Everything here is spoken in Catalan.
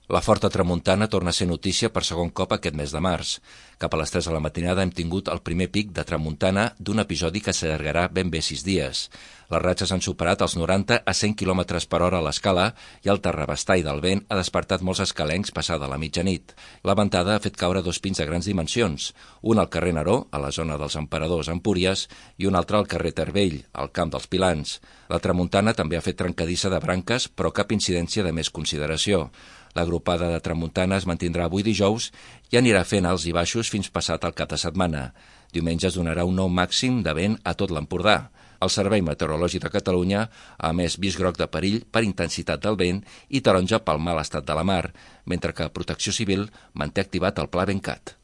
La forta tramuntana torna a ser notícia per segon cop aquest mes de març. Cap a les 3 de la matinada hem tingut el primer pic de tramuntana d'un episodi que s'allargarà ben bé 6 dies. Les ratxes han superat els 90 a 100 km per hora a l'escala i el terrabastall del vent ha despertat molts escalencs passada la mitjanit. La ventada ha fet caure 2 pins de grans dimensions, un al carrer Neró, a la zona dels Emperadors a Empúries, i un altre al carrer Tervell, al camp dels Pilans. La tramuntana també ha fet trencadissa de branques, però cap incidència de més consideració. L'agrupada de tramuntana es mantindrà avui dijous i anirà fent alts i baixos fins passat el cap de setmana. Diumenge es donarà un nou màxim de vent a tot l'Empordà. El Servei Meteorològic de Catalunya ha emès avís groc de perill per intensitat del vent i taronja pel mal estat de la mar, mentre que Protecció Civil manté activat el Pla Ventcat.